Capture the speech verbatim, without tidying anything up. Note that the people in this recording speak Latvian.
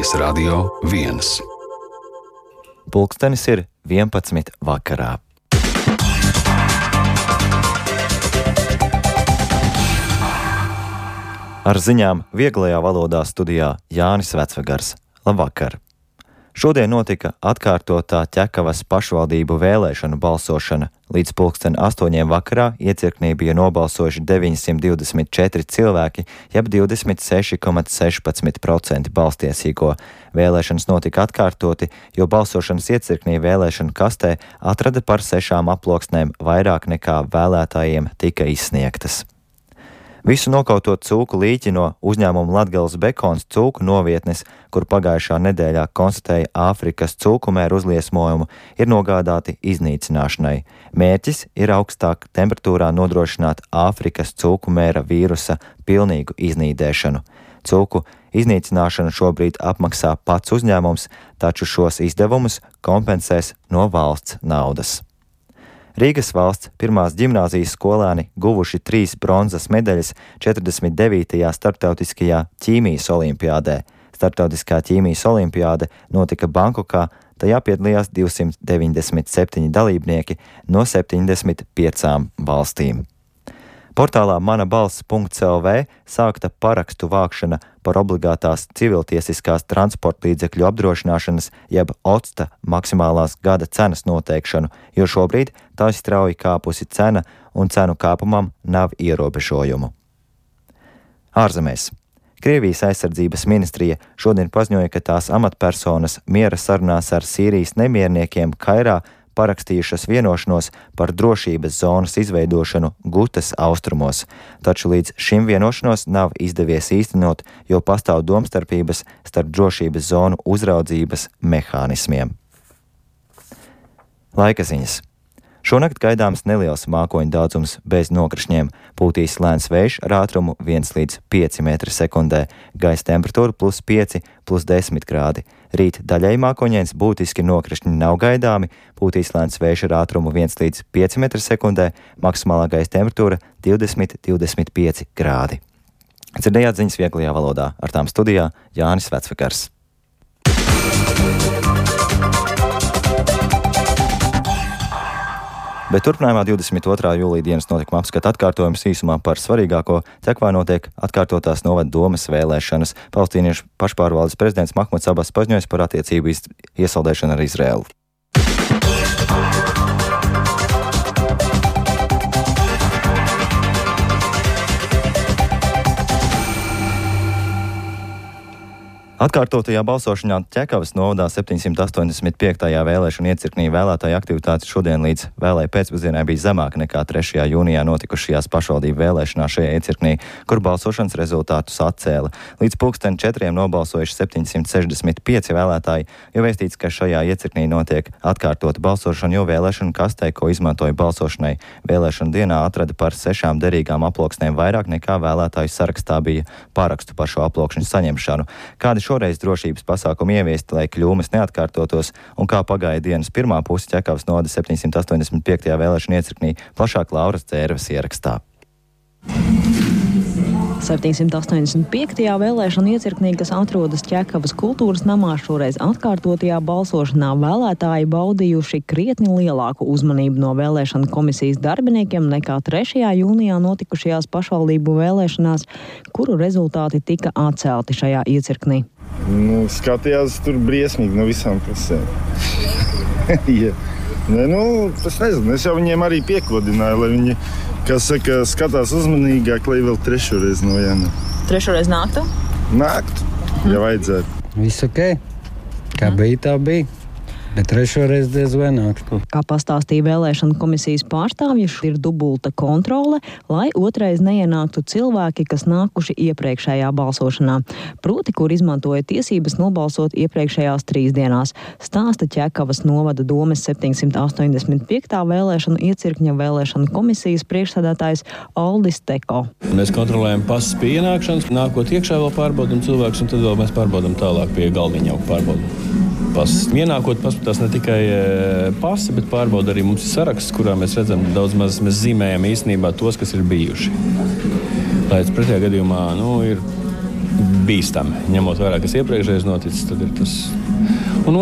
Latvijas Radio viens. Pulkstenis ir vienpadsmit vakarā. Ar ziņām vieglajā valodā studijā Jānis Vecvegars. Labvakar! Šodien notika atkārtotā Ķekavas pašvaldību vēlēšanu balsošana. Līdz pulksten astoņiem vakarā iecirknī bija nobalsojuši deviņsimt divdesmit četri cilvēki, jeb divdesmit seši komats sešpadsmit procenti balstiesīgo. Vēlēšanas notika atkārtoti, jo balsošanas iecirknī vēlēšanu kastē atrada par sešām aploksnēm vairāk nekā vēlētājiem tika izsniegtas. Visu nokautot cūku līķi no uzņēmuma Latgales Bekons cūku novietnes, kur pagājušā nedēļā konstatēja Āfrikas cūkumēru uzliesmojumu, ir nogādāti iznīcināšanai. Mērķis ir augstāk temperatūrā nodrošināt Āfrikas cūkumēra vīrusa pilnīgu iznīdēšanu. Cūku iznīcināšanu šobrīd apmaksā pats uzņēmums, taču šos izdevumus kompensēs no valsts naudas. Rīgas valsts pirmās ģimnāzijas skolēni guvuši trīs bronzas medaļas četrdesmit devītajā starptautiskajā ķīmijas olimpiādē. Starptautiskā ķīmijas olimpiāde notika Bankokā, tajā piedalījās divsimt deviņdesmit septiņi dalībnieki no septiņdesmit piecām valstīm. Portālā mana balss punkts el vē sākta parakstu vākšana par obligātās civiltiesiskās transporta līdzekļu apdrošināšanas jeb OCTA maksimālās gada cenas noteikšanu, jo šobrīd tā ir strauji kāpusi cena un cenu kāpumam nav ierobežojumu. Ārzemēs. Krievijas aizsardzības ministrija šodien paziņoja, ka tās amatpersonas miera sarunās ar Sīrijas nemierniekiem Kairā parakstījušas vienošanos par drošības zonas izveidošanu Gutas austrumos, taču līdz šim vienošanos nav izdevies īstenot, jo pastāv domstarpības starp drošības zonu uzraudzības mehānismiem. Laika ziņas. Šonakt gaidāms neliels mākoņu daudzums bez nokrišņiem, pūtīs lēns vējš ar ātrumu viens līdz pieci metri sekundē, gaisa temperatūra plus pieci, plus desmit grādi. Rīt daļai mākoņains, būtiski nokrišņi nav gaidāmi, pūtīs lēns vējš ar ātrumu viens līdz pieci metri sekundē, maksimālā gaisa temperatūra divdesmit līdz divdesmit pieci grādi. Dzirdējāt ziņas vieglajā valodā, ar tām studijā Jānis Vecvegars. Bet turpinājumā divdesmit otrā jūlija dienas notikuma apskata atkārtojums īsumā par svarīgāko. Ķekavā notiek atkārtotās novada domes vēlēšanas. Palestīniešu pašpārvaldes prezidents Mahmuds Abas paziņoja par attiecību iesaldēšanu ar Izraēlu. Atkārtotajā balsošanā Ķekavas novadā septiņsimt astoņdesmit piektajā vēlēšanu iecirknī vēlētāju aktivitāte šodien līdz vēlēju pēcpusdienai bija zemāka nekā trešajā jūnijā notikušajās pašvaldību vēlēšanās šajā iecirknī, kur balsošanas rezultātus atcēla. Līdz pulksten četriem nobalsojuši septiņsimt sešdesmit pieci vēlētāji, jo vēstīts, ka šajā iecirknī notiek atkārtota balsošana, jo vēlēšanu kastē, ko izmantoja balsošanai, vēlēšanu dienā atrada par sešām derīgām aploksnēm vairāk nekā vēlētāju sarakstā bija parakstu par šo aploksņu saņemšanu. Kādi šoreiz drošības pasākumi ieviesti, lai kļūmes neatkārtotos, un kā pagāja dienas pirmā puse Ķekavas novada septiņsimt astoņdesmit piektajā vēlēšanu iecirknī, plašāk Lauras Dzērves ierakstā. septiņsimt astoņdesmit piektajā vēlēšanu iecirknī, kas atrodas Ķekavas kultūras namā, šoreiz atkārtotajā balsošanā vēlētāji baudījuši krietni lielāku uzmanību no vēlēšanu komisijas darbiniekiem nekā trešajā jūnijā notikušajās pašvaldību vēlēšanās, kuru rezultāti tika atcelti šajā iecirknī. Nu, skatījās tur briesmīgi no visām pusēm. ja. ne, nu, es nezinu, es jau viņiem arī piekodināju, lai viņi, kas saka, skatās uzmanīgāk, lai vēl trešoreiz no Jāna. Trešoreiz nāktu? Nāktu, ja vajadzētu. Viss ok, kā bija, tā bija. Bet trešoreiz diez vai nāks. Kā pastāstīja vēlēšanu komisijas pārstāvji, ir dubulta kontrole, lai otrais neienāktu cilvēki, kas nākuši iepriekšējā balsošanā. Proti, kur izmantoja tiesības nobalsot iepriekšējās trīs dienās. Stāsta Ķekavas novada domes septiņsimt astoņdesmit piektā vēlēšanu iecirkņa vēlēšanu komisijas priekšsēdētājs Aldis Teko. Mēs kontrolējam pasas pie ienākšanas, nākot iekšā vēl pārbaudam cilvēkus, un tad vēl mēs pārbaudam tālāk pie galdiņa jau pārbaudam. Pasas. Ienākot paskatās ne tikai pasi, bet pārbauda arī mums ir saraksts, kurā mēs redzam daudz maz, mēs zīmējam īstenībā tos, kas ir bijuši. Lai pretējā gadījumā, nu, ir bīstami. Ņemot vērā, kas iepriekšējais noticis, tad ir tas. Un